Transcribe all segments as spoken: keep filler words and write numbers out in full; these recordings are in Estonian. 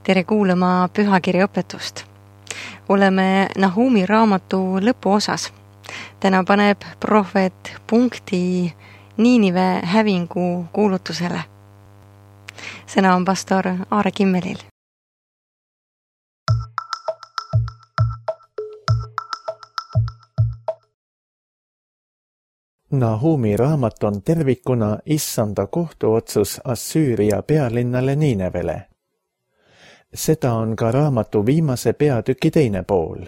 Tere kuulama pühakirja õpetust. Oleme Nahumi raamatu lõpuosas. Täna paneb prohvet punkti Niinive hävingu kuulutusele. Sõna on pastor Aare Kimmelil. Nahumi raamat on tervikuna issanda kohtuotsus Assüüria pealinnale Niinevele. Seda on ka raamatu viimase peatüki teine pool.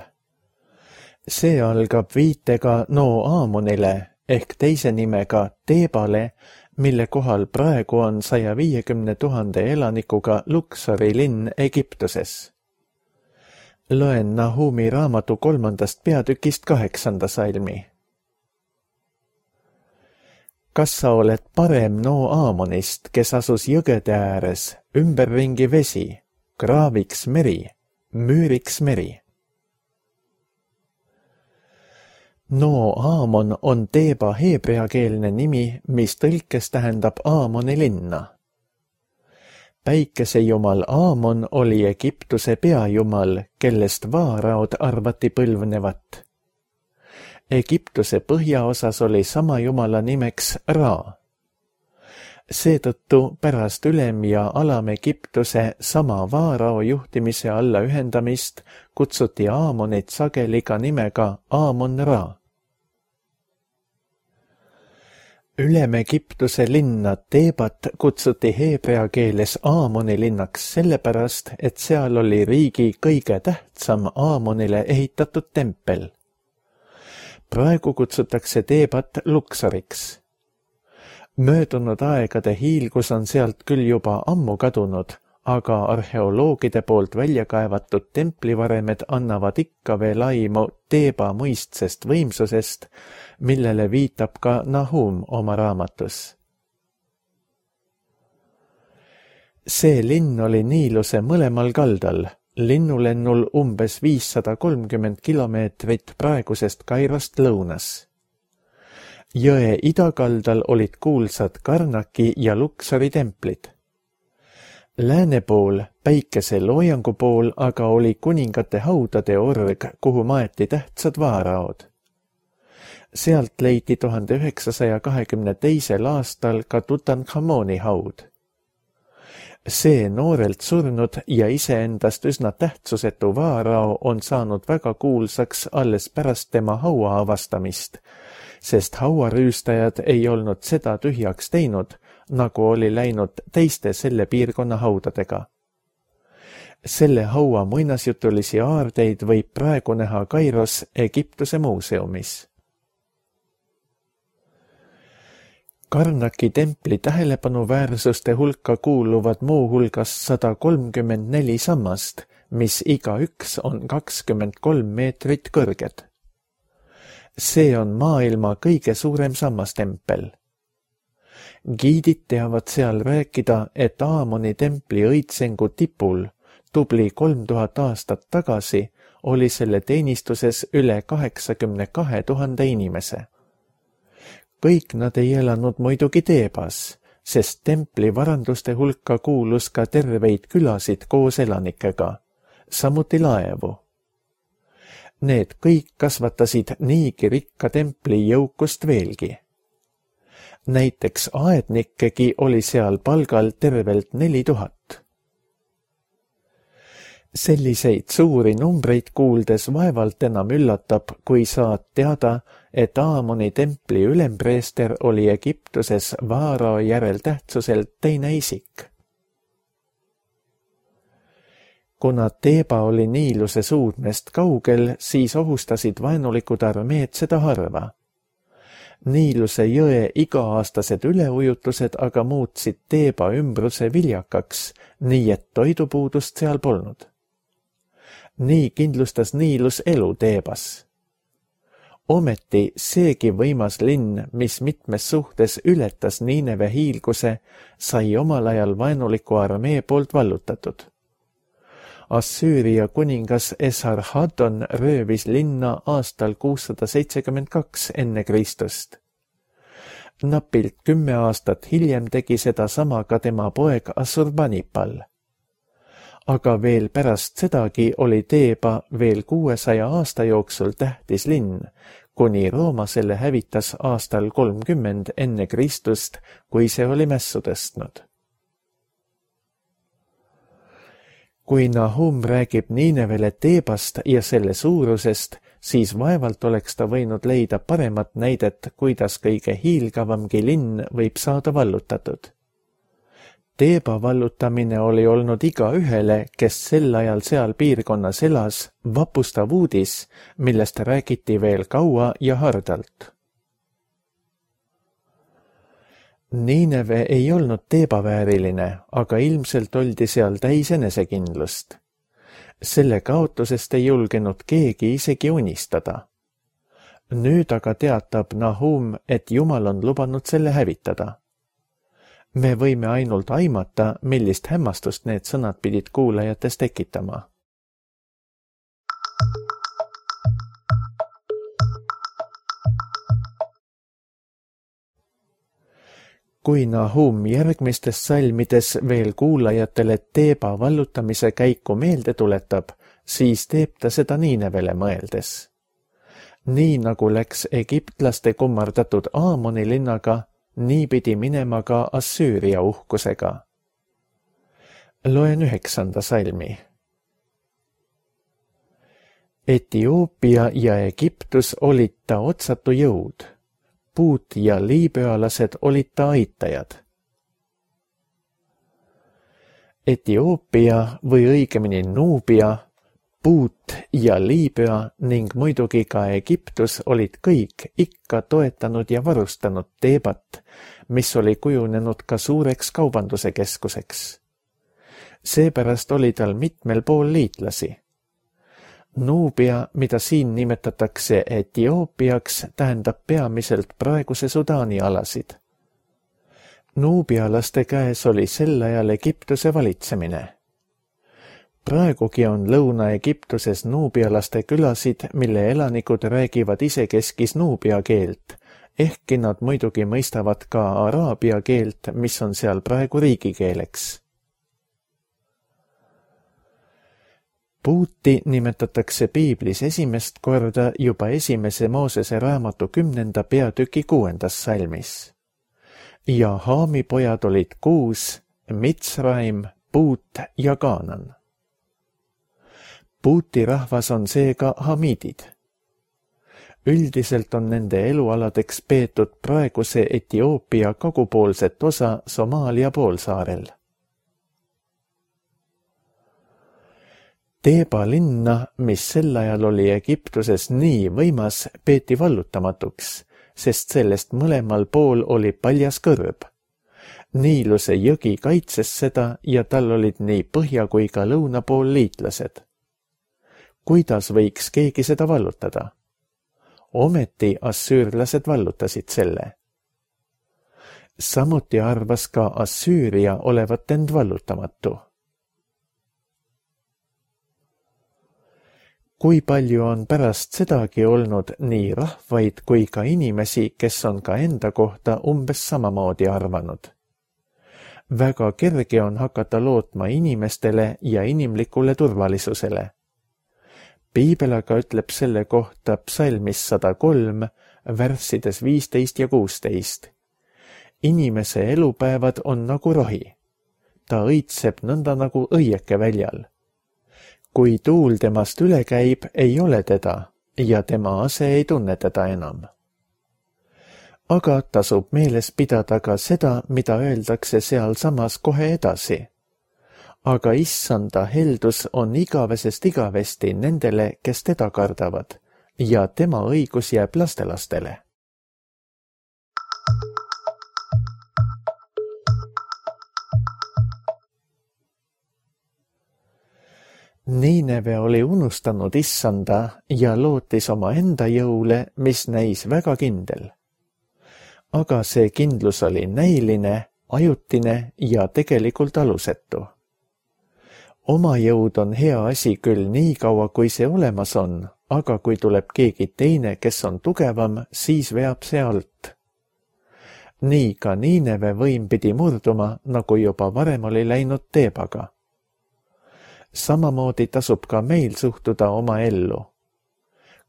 See algab viitega No Aamonile ehk teise nimega Teebale, mille kohal praegu on saja viiekümne tuhande elanikuga Luksori linn Egiptuses. Loen Nahumi raamatu kolmandast peatükist kaheksanda salmi. Kas sa oled parem No Aamonist, kes asus jõgede ääres, ümberringi vesi, kraaviks meri, müüriks meri? No Aamon on Teeba heebreakeelne nimi, mis tõlkes tähendab Aamoni linna. Päikesejumal Aamon oli Egiptuse peajumal, kellest vaaraod arvati põlvnevat. Egiptuse põhjaosas oli sama jumala nimeks Ra. Seetõttu pärast ülem- ja alam-Egiptuse sama vaarao juhtimise alla ühendamist kutsuti Aamonit sageli ka nimega Aamon-Ra. Ülem-Egiptuse linna Teebat kutsuti heebrea keeles Aamoni linnaks sellepärast, et seal oli riigi kõige tähtsam Aamonile ehitatud tempel. Praegu kutsutakse Teebat Luksoriks. Möödunud aegade hiilgus on sealt küll juba ammu kadunud, aga arheoloogide poolt välja kaevatud templivaremed annavad ikka veel aimu Teeba mõistsest võimsusest, millele viitab ka Nahum oma raamatus. See linn oli Niiluse mõlemal kaldal, linnulennul umbes viissada kolmkümmend kilomeetrit praegusest Kairost lõunas. Jõe idakaldal olid kuulsad Karnaki ja Luksori templid. Lääne pool, päikese loojangu pool, aga oli kuningate haudade org, kuhu maeti tähtsad vaaraod. Sealt leiti tuhande üheksasaja kahekümne teisel aastal ka Tutankhamoni haud. See noorelt surnud ja iseendast üsna tähtsusetu vaarao on saanud väga kuulsaks alles pärast tema haua avastamist, sest hauarüüstajad ei olnud seda tühjaks teinud, nagu oli läinud teiste selle piirkonna haudadega. Selle haua muinasjutulisi aardeid võib praegu näha Kairos Egiptuse muuseumis. Karnaki templi tähelepanuväärsuste hulka kuuluvad muu hulgas sada kolmkümmend neli sammast, mis iga üks on kakskümmend kolm meetrit kõrged. See on maailma kõige suurem sammastempel. Giidid teavad seal rääkida, et Aamoni templi õitsengu tipul tubli kolm tuhat aastat tagasi oli selle teenistuses üle kaheksakümne kahe tuhande inimese. Kõik nad ei elanud muidugi Teebas, sest templi varanduste hulka kuulus ka terveid külasid koos elanikega, samuti laevu. Need kõik kasvatasid niigi rikka templi jõukust veelgi. Näiteks aednikkegi oli seal palgal tervelt neli tuhat. Selliseid suuri numbreid kuuldes vaevalt enam üllatab, kui saad teada, et Aamoni templi ülempreester oli Egiptuses vaarao järel tähtsuselt teine isik. Kuna Teeba oli Niiluse suudmest kaugel, siis ohustasid vaenulikud armeed seda harva. Niiluse jõe iga-aastased üleujutused aga muutsid Teeba ümbruse viljakaks, nii et toidupuudust seal polnud. Nii kindlustas Niilus elu Teebas. Ometi seegi võimas linn, mis mitmes suhtes ületas Niineve hiilguse, sai omal ajal vaenuliku armee poolt vallutatud. Assüüria kuningas Esarhaddon röövis linna aastal kuussada seitsekümmend kaks enne Kristust. Napilt kümme aastat hiljem tegi seda sama ka tema poeg Assurbanipal. aga veel pärast sedagi oli Teeba veel kuuesaja aasta jooksul tähtis linn, kuni Rooma selle hävitas aastal kolmkümmend enne Kristust, kui see oli mässu tõstnud. Kui Nahum räägib Niinevele Teebast ja selle suurusest, siis vaevalt oleks ta võinud leida paremat näidet, kuidas kõige hiilgavamgi linn võib saada vallutatud. Teeba vallutamine oli olnud igaühele, kes sel ajal seal piirkonnas elas, vapustav uudis, millest räägiti veel kaua ja hardalt. Niineve ei olnud Teeba vääriline, aga ilmselt oldi seal täis enesekindlust. Selle kaotusest ei julgenud keegi isegi unistada. Nüüd aga teatab Nahum, et Jumal on lubanud selle hävitada. Me võime ainult aimata, millist hämmastust need sõnad pidid kuulajates tekitama. Kui Nahum järgmistes salmides veel kuulajatele Teeba vallutamise käiku meelde tuletab, siis teeb ta seda Niinevele mõeldes. Nii nagu läks egiptlaste kummardatud Aamoni linnaga, nii pidi minema ka Assüüria uhkusega. Loen üheksanda salmi. Etioopia ja Egiptus olid ta otsatu jõud. Puut ja liibüalased olid ta aitajad. Etioopia või õigemini Nuubia, Puut ja Liibüa ning muidugi ka Egiptus olid kõik ikka toetanud ja varustanud Teebat, mis oli kujunenud ka suureks kaubanduse keskuseks. Seepärast oli tal mitmel pool liitlasi. Nuubia, mida siin nimetatakse Etioopiaks, tähendab peamiselt praeguse Sudaani alasid. Nuubialaste käes oli sel ajal Egiptuse valitsemine. Praegugi on Lõuna-Egiptuses nuubialaste külasid, mille elanikud räägivad isekeskis nuubia keelt, ehkki nad muidugi mõistavad ka araabia keelt, mis on seal praegu riigikeeleks. Puuti nimetatakse Piiblis esimest korda juba esimese Moosese raamatu kümnenda peatüki kuuendas salmis. Ja Haami pojad olid kuus, Mitsraim, Puut ja Kaanan. Puuti rahvas on seega hamiidid. Üldiselt on nende elualadeks peetud praeguse Etioopia kagupoolset osa Somaalia poolsaarel. Teeba linna, mis sel ajal oli Egiptuses nii võimas, peeti vallutamatuks, sest sellest mõlemal pool oli paljas kõrb. Niiluse jõgi kaitses seda ja tal olid nii põhja kui ka lõuna pool liitlased. Kuidas võiks keegi seda vallutada? Ometi assüürlased vallutasid selle. Samuti arvas ka Assüüria olevat end vallutamatu. Kui palju on pärast sedagi olnud nii rahvaid kui ka inimesi, kes on ka enda kohta umbes samamoodi arvanud. Väga kerge on hakata lootma inimestele ja inimlikule turvalisusele. Piibel aga ütleb selle kohta psalmis sada kolm, värssides viisteist ja kuusteist. Inimese elupäevad on nagu rohi. Ta õitseb nõnda nagu õieke väljal. Kui tuul temast üle käib, ei ole teda ja tema ase ei tunne teda enam. Aga tasub meeles pidada ka seda, mida öeldakse sealsamas kohe edasi. Aga issanda heldus on igavesest igavesti nendele, kes teda kardavad, ja tema õigus jääb lastelastele. Niineve oli unustanud issanda ja lootis oma enda jõule, mis näis väga kindel. Aga see kindlus oli näiline, ajutine ja tegelikult alusetu. Oma jõud on hea asi küll nii kaua, kui see olemas on, aga kui tuleb keegi teine, kes on tugevam, siis veab see alt. Nii ka Niineve võim pidi murduma, nagu juba varem oli läinud Teebaga. Samamoodi tasub ka meil suhtuda oma ellu.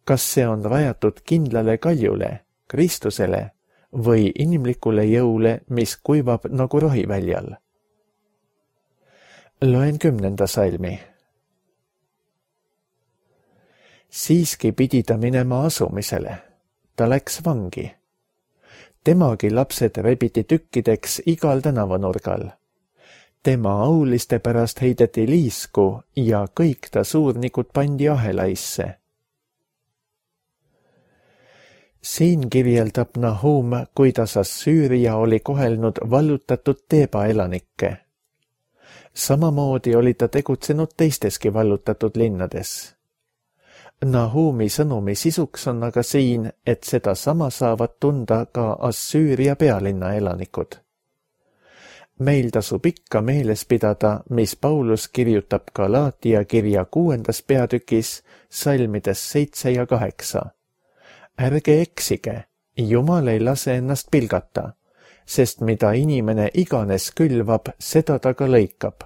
Kas see on rajatud kindlale kaljule, Kristusele või inimlikule jõule, mis kuivab nagu rohiväljal? Loen kümnenda salmi. Siiski pidi ta minema asumisele. Ta läks vangi. Temagi lapsed rebiti tükkideks igal tänavanurgal. Tema auliste pärast heideti liisku ja kõik ta suurnikud pandi ahelaisse. Siin kirjeldab Nahum, kuidas Assüüria oli kohelnud vallutatud Teeba elanikke. Samamoodi oli ta tegutsenud teisteski vallutatud linnades. Nahumi sõnumi sisuks on aga siin, et seda sama saavad tunda ka Assüüria pealinna elanikud. Meil tasub ikka meeles pidada, mis Paulus kirjutab Galaatia kirja kuuendas peatükis, salmides seitse ja kaheksa. Ärge eksige, Jumal ei lase ennast pilgata, sest mida inimene iganes külvab, seda ta ka lõikab.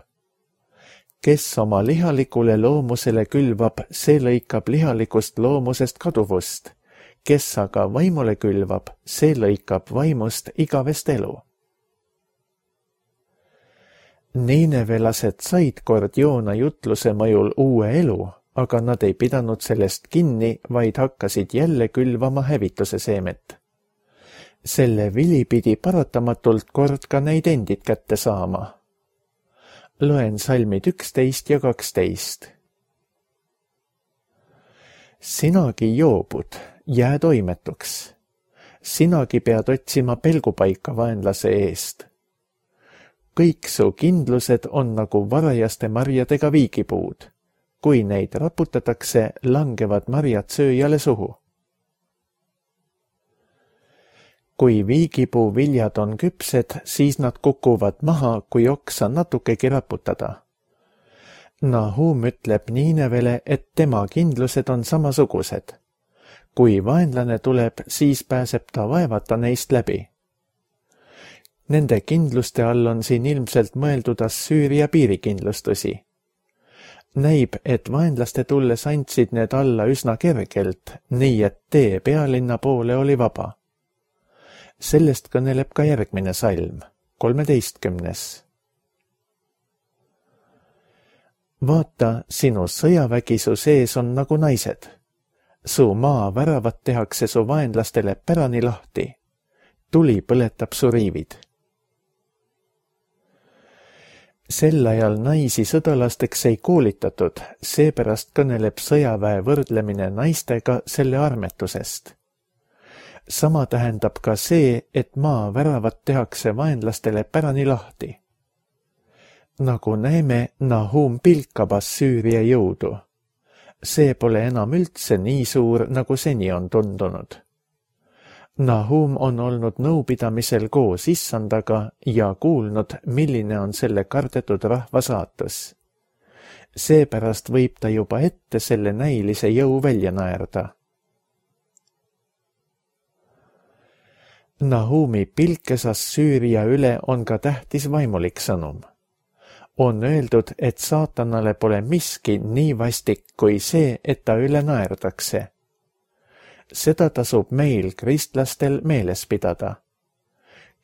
Kes oma lihalikule loomusele külvab, see lõikab lihalikust loomusest kaduvust. Kes aga vaimule külvab, see lõikab vaimust igavest elu. Niinevelased said kord Joona jutluse mõjul uue elu, aga nad ei pidanud sellest kinni, vaid hakkasid jälle külvama hävituse seemet. Selle vili pidi paratamatult kord ka neid endid kätte saama. Loen salmid üksteist ja kaksteist. Sinagi joobud, jää toimetuks. Sinagi pead otsima pelgupaika vaenlase eest. Kõik su kindlused on nagu varajaste marjadega viigipuud. Kui neid raputatakse, langevad marjad sööjale suhu. Kui viigipuu viljad on küpsed, siis nad kukuvad maha, kui oksa natukegi raputada. Nahum ütleb Niinevele, et tema kindlused on samasugused. Kui vaenlane tuleb, siis pääseb ta vaevata neist läbi. Nende kindluste all on siin ilmselt mõeldud Assüüria piirikindlustusi. Näib, et vaenlaste tulles andsid need alla üsna kergelt, nii et tee pealinna poole oli vaba. Sellest kõneleb ka järgmine salm, kolmeteistkümnes. Vaata, sinu sõjavägi su sees on nagu naised. Su maa väravad tehakse su vaenlastele pärani lahti. Tuli põletab su riivid. Sel ajal naisi sõdalasteks ei koolitatud, seepärast kõneleb sõjaväe võrdlemine naistega selle armetusest. Sama tähendab ka see, et maa väravad tehakse vaenlastele pärani lahti. Nagu näeme, Nahum pilkab Assüüria jõudu. See pole enam üldse nii suur, nagu seni on tundunud. Nahum on olnud nõupidamisel koos issandaga ja kuulnud, milline on selle kardetud rahva saatus. Seepärast võib ta juba ette selle näilise jõu välja naerda. Nahumi pilkes Assüüria üle on ka tähtis vaimulik sõnum. On öeldud, et saatanale pole miski nii vastik kui see, et ta üle naerdakse. Seda tasub meil, kristlastel, meeles pidada.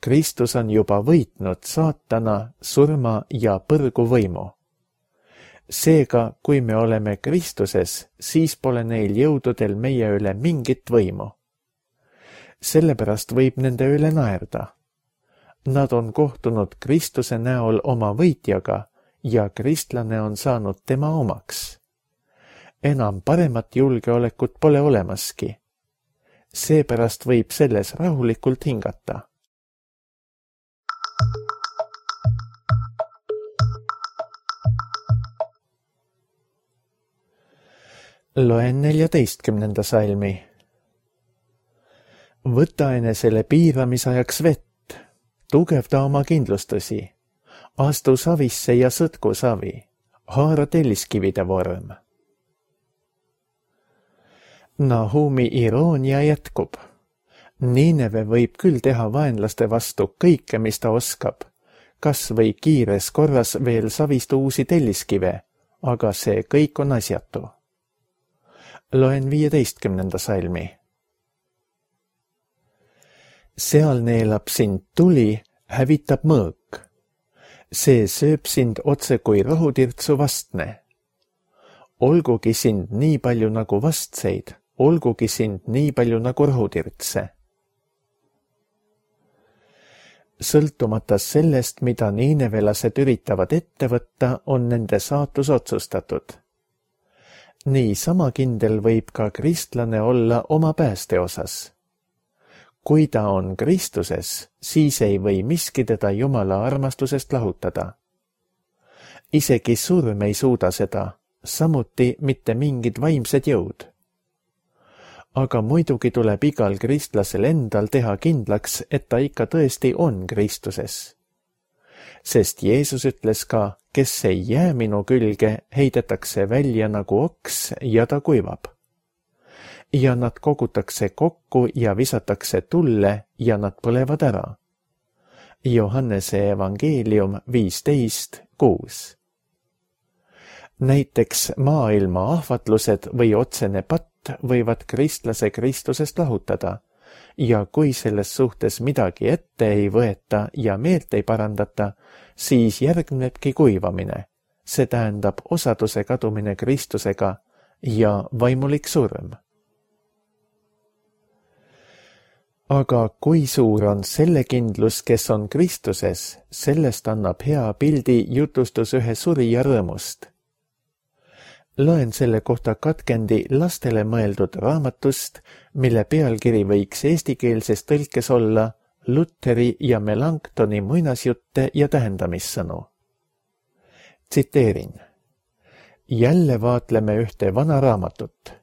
Kristus on juba võitnud saatana, surma ja põrgu võimu. Seega, kui me oleme Kristuses, siis pole neil jõududel meie üle mingit võimu. Sellepärast võib nende üle naerda. Nad on kohtunud Kristuse näol oma võitjaga ja kristlane on saanud tema omaks. Enam paremat julgeolekut pole olemaski. Seepärast võib selles rahulikult hingata. Loen neljateistkümnenda salmi. Võta enesele piiramisajaks vett, tugevda oma kindlustusi, astu savisse ja sõtku savi, haara telliskivide vorm. Nahumi iroonia jätkub. Niineve võib küll teha vaenlaste vastu kõike, mis ta oskab, kas või kiires korras veel savist uusi telliskive, aga see kõik on asjatu. Loen viieteistkümnenda salmi. Seal neelab sind tuli, hävitab mõõk. See sööb sind otse kui rohutirtsu vastne. Olgugi sind nii palju nagu vastseid, olgugi sind nii palju nagu rohutirtse. Sõltumata sellest, mida niinevelased üritavad ette võtta, on nende saatus otsustatud. Nii sama kindel võib ka kristlane olla oma pääste osas. Kui ta on Kristuses, siis ei või miski teda Jumala armastusest lahutada. Isegi surm ei suuda seda, samuti mitte mingid vaimsed jõud. Aga muidugi tuleb igal kristlasel endal teha kindlaks, et ta ikka tõesti on Kristuses. Sest Jeesus ütles ka, kes ei jää minu külge, heidetakse välja nagu oks ja ta kuivab. Ja nad kogutakse kokku ja visatakse tulle ja nad põlevad ära. Johannese evangeelium viisteist kuus. Näiteks maailma ahvatlused või otsene patt võivad kristlase Kristusest lahutada ja kui selles suhtes midagi ette ei võeta ja meelt ei parandata, siis järgnebki kuivamine, see tähendab osaduse kadumine Kristusega ja vaimulik surm. Aga kui suur on selle kindlus, kes on Kristuses, sellest annab hea pildi jutustus ühe surija rõõmust. Loen selle kohta katkendi lastele mõeldud raamatust, mille pealkiri võiks eestikeelses tõlkes olla Lutheri ja Melanchtoni muinasjutte ja tähendamissõnu. Tsiteerin. Jälle vaatleme ühte vana raamatut.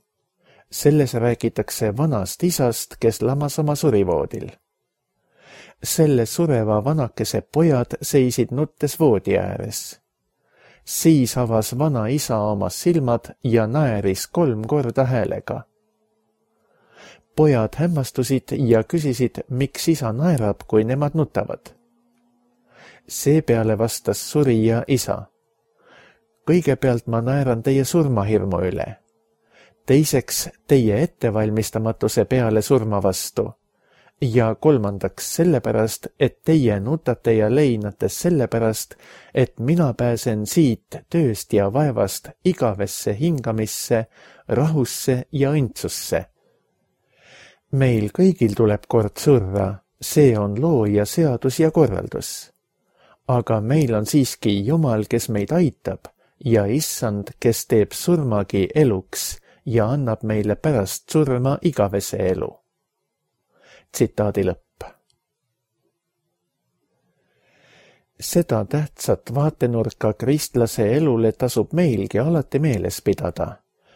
Selles räägitakse vanast isast, kes lamas oma surivoodil. Selle sureva vanakese pojad seisid nuttes voodi ääres. Siis avas vana isa oma silmad ja naeris kolm korda häälega. Pojad hämmastusid ja küsisid, miks isa naerab, kui nemad nutavad. Seepeale vastas surija isa. Kõigepealt ma naeran teie surmahirmu üle. Teiseks teie ettevalmistamatuse peale surma vastu. Ja kolmandaks sellepärast, et teie nutate ja leinate sellepärast, et mina pääsen siit tööst ja vaevast igavesse hingamisse, rahusse ja õndsusse. Meil kõigil tuleb kord surra, see on loo ja seadus ja korraldus. Aga meil on siiski Jumal, kes meid aitab ja Issand, kes teeb surmagi eluks ja annab meile pärast surma igavese elu. Tsitaadi lõpp. Seda tähtsat vaatenurka kristlase elule tasub meilgi alati meeles pidada,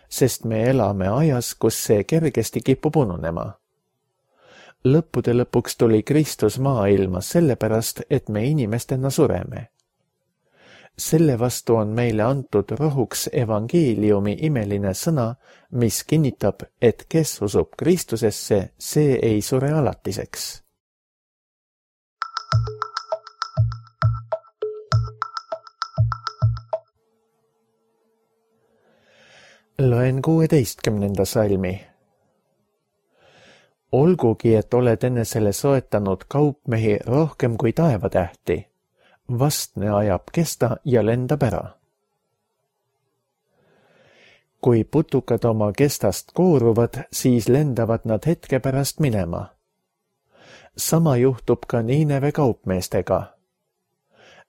sest me elame ajas, kus see kergesti kipub ununema. Lõppude lõpuks tuli Kristus maailma sellepärast, et me inimestena sureme. Selle vastu on meile antud rohuks evangeeliumi imeline sõna, mis kinnitab, et kes usub Kristusesse, see ei sure alatiseks. Loen kuueteistkümnenda salmi. Olgugi, et oled enesele soetanud kaupmehi rohkem kui taevatähti, vastne ajab kesta ja lendab ära. Kui putukad oma kestast kooruvad, siis lendavad nad hetke pärast minema. Sama juhtub ka Niineve kaupmeestega.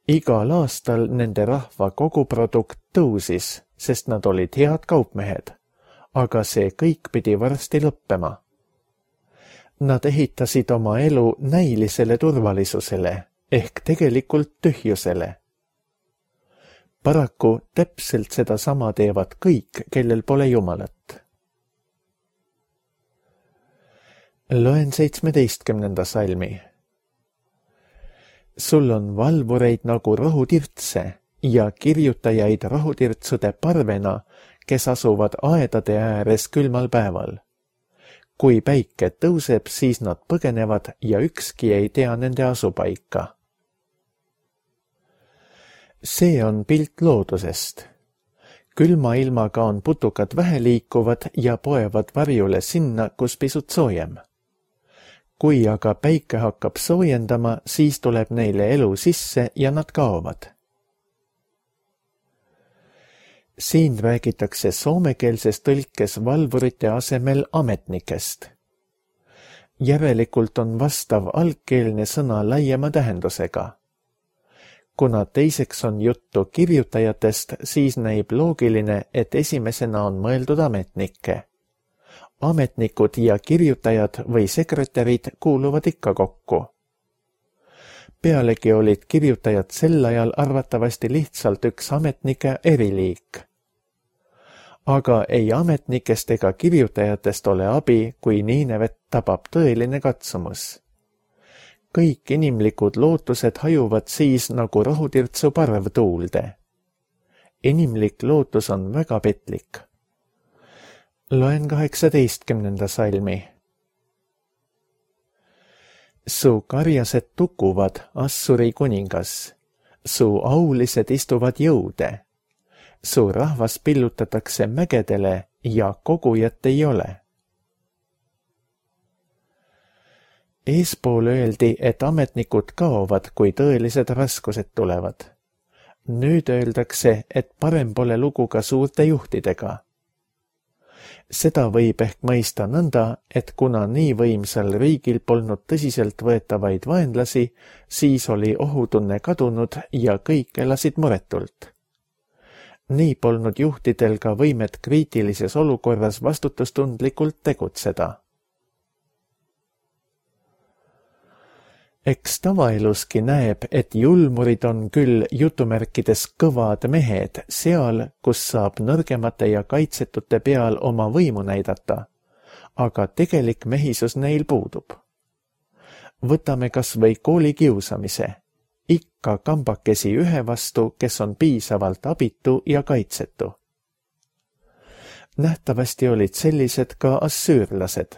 Igal aastal nende rahva koguprodukt tõusis, sest nad olid head kaupmehed, aga see kõik pidi varsti lõppema. Nad ehitasid oma elu näilisele turvalisusele, ehk tegelikult tühjusele. Paraku täpselt seda sama teevad kõik, kellel pole Jumalat. Loen seitsmeteistkümnenda salmi. Sul on valvureid nagu rohutirtse ja kirjutajaid rohutirtsude parvena, kes asuvad aedade ääres külmal päeval. Kui päike tõuseb, siis nad põgenevad ja ükski ei tea nende asupaika. See on pilt loodusest. Külma ilmaga on putukad vähe liikuvad ja poevad varjule sinna, kus pisut soojem. Kui aga päike hakkab soojendama, siis tuleb neile elu sisse ja nad kaovad. Siin räägitakse soomekeelses tõlkes valvurite asemel ametnikest. Järelikult on vastav algkeelne sõna laiema tähendusega. Kuna teiseks on juttu kirjutajatest, siis näib loogiline, et esimesena on mõeldud ametnikke. Ametnikud ja kirjutajad või sekretärid kuuluvad ikka kokku. Pealegi olid kirjutajad sel ajal arvatavasti lihtsalt üks ametnike eriliik. Aga ei ametnikest ega kirjutajatest ole abi, kui Niinevet tabab tõeline katsumus. Kõik inimlikud lootused hajuvad siis nagu rohutirtsu parv tuulde. Inimlik lootus on väga petlik. Loen kaheksateistkümnenda salmi. Su karjased tukuvad, Assuri kuningas. Su aulised istuvad jõude. Su rahvas pillutatakse mägedele ja kogujat ei ole. Eespool öeldi, et ametnikud kaovad, kui tõelised raskused tulevad. Nüüd öeldakse, et parem pole lugu ka suurte juhtidega. Seda võib ehk mõista nõnda, et kuna nii võimsal riigil polnud tõsiselt võetavaid vaenlasi, siis oli ohutunne kadunud ja kõik elasid muretult. Nii polnud juhtidel ka võimet kriitilises olukorras vastutustundlikult tegutseda. Eks tavaeluski näeb, et julmurid on küll jutumärkides kõvad mehed seal, kus saab nõrgemate ja kaitsetute peal oma võimu näidata, aga tegelik mehisus neil puudub. Võtame kas või kooli kiusamise. Ikka kambakesi ühe vastu, kes on piisavalt abitu ja kaitsetu. Nähtavasti olid sellised ka assüürlased.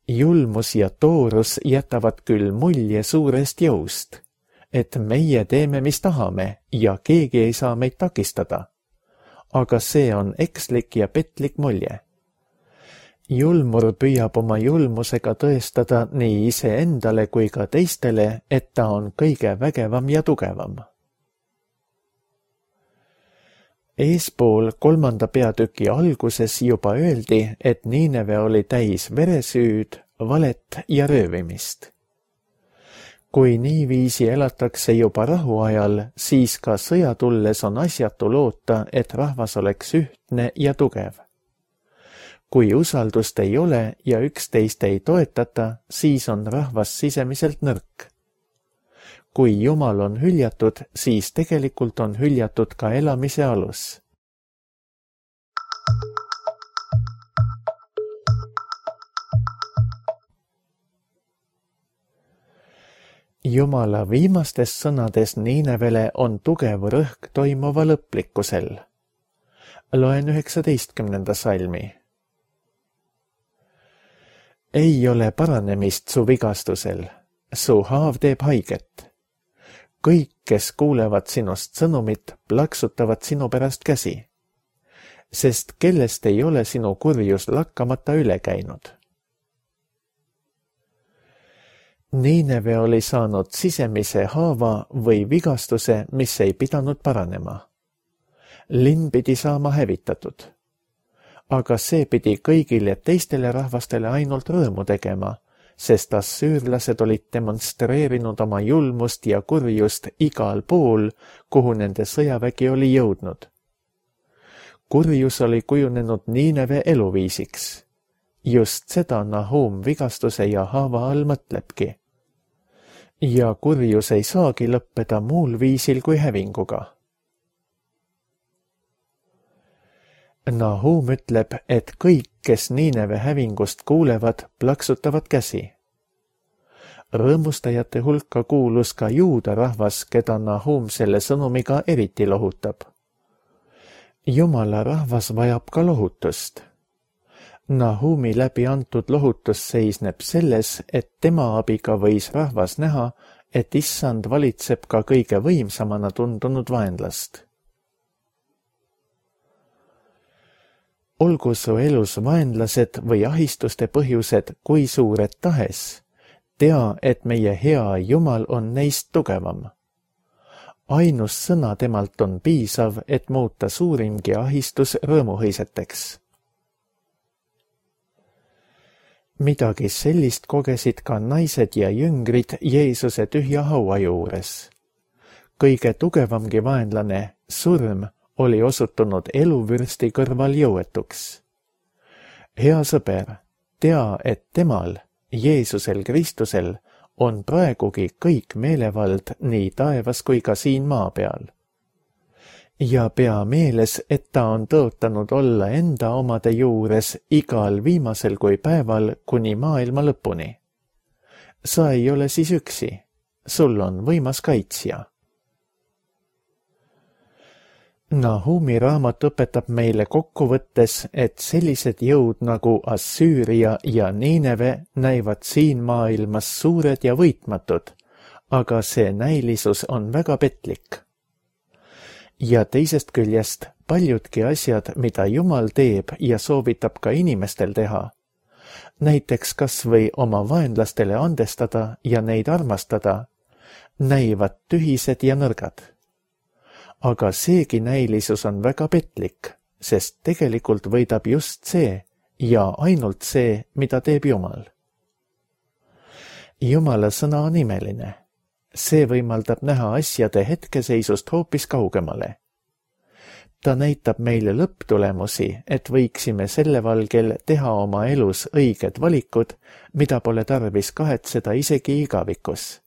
Julmus ja toorus jätavad küll mulje suurest jõust, et meie teeme, mis tahame ja keegi ei saa meid takistada. Aga see on ekslik ja petlik mulje. Julmur püüab oma julmusega tõestada nii iseendale kui ka teistele, et ta on kõige vägevam ja tugevam. Eespool kolmanda peatüki alguses juba öeldi, et Niineve oli täis veresüüd, valet ja röövimist. Kui niiviisi elatakse juba rahuajal, siis ka sõja tulles on asjatu loota, et rahvas oleks ühtne ja tugev. Kui usaldust ei ole ja üksteist ei toetata, siis on rahvas sisemiselt nõrk. Kui Jumal on hüljatud, siis tegelikult on hüljatud ka elamise alus. Jumala viimastes sõnades Niinevele on tugev rõhk toimuva lõplikkusel. Loen üheksateistkümnenda salmi. Ei ole paranemist su vigastusel, su haav teeb haiget. Kõik, kes kuulevad sinust sõnumit, plaksutavad sinu pärast käsi, sest kellest ei ole sinu kurjus lakkamata üle käinud. Niineve oli saanud sisemise haava või vigastuse, mis ei pidanud paranema. Linn pidi saama hävitatud. Aga see pidi kõigile teistele rahvastele ainult rõõmu tegema, sest assüürlased olid demonstreerinud oma julmust ja kurjust igal pool, kuhu nende sõjavägi oli jõudnud. Kurjus oli kujunenud Niineve eluviisiks. Just seda Nahum vigastuse ja haava all mõtlebki. Ja kurjus ei saagi lõppeda muul viisil kui hävinguga. Nahum ütleb, et kõik, kes Niineve hävingust kuulevad, plaksutavad käsi. Rõõmustajate hulka kuulus ka juuda rahvas, keda Nahum selle sõnumiga eriti lohutab. Jumala rahvas vajab ka lohutust. Nahumi läbi antud lohutus seisneb selles, et tema abiga võis rahvas näha, et issand valitseb ka kõige võimsamana tundunud vaenlast. olgu su elus vaenlased või ahistuste põhjused kui suured tahes, tea, et meie hea Jumal on neist tugevam. Ainus sõna temalt on piisav, et muuta suurimgi ahistus rõõmuhõiseteks. Midagi sellist kogesid ka naised ja jüngrid Jeesuse tühja haua juures. Kõige tugevamgi vaenlane, surm, oli osutunud eluvürsti kõrval jõuetuks. Hea sõber, tea, et temal, Jeesusel Kristusel, on praegugi kõik meelevald nii taevas kui ka siin maa peal. Ja pea meeles, et ta on tõotanud olla enda omade juures igal viimasel kui päeval kuni maailma lõpuni. Sa ei ole siis üksi, sul on võimas kaitsja. Nahumi raamat õpetab meile kokkuvõttes, et sellised jõud nagu Assüüria ja Niineve näivad siin maailmas suured ja võitmatud, aga see näilisus on väga petlik. Ja teisest küljest paljudki asjad, mida Jumal teeb ja soovitab ka inimestel teha, näiteks kas või oma vaenlastele andestada ja neid armastada, näivad tühised ja nõrgad. Aga seegi näilisus on väga petlik, sest tegelikult võidab just see ja ainult see, mida teeb Jumal. Jumala sõna on imeline. See võimaldab näha asjade hetkeseisust hoopis kaugemale. Ta näitab meile lõpptulemusi, et võiksime selle valgel teha oma elus õiged valikud, mida pole tarvis kahetseda isegi igavikus.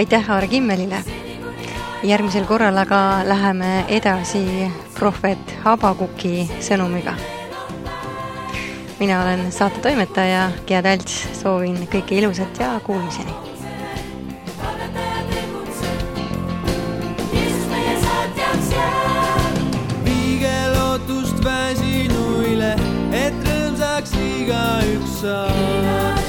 Aitäh Aare Kimmelile. Järgmisel korral aga läheme edasi prohvet Habakuki sõnumiga. Mina olen saate toimetaja Gea Talts, soovin kõike ilusat ja kuulmiseni. Viige lootust väsinuile, et rõõmsaks iga üks saab.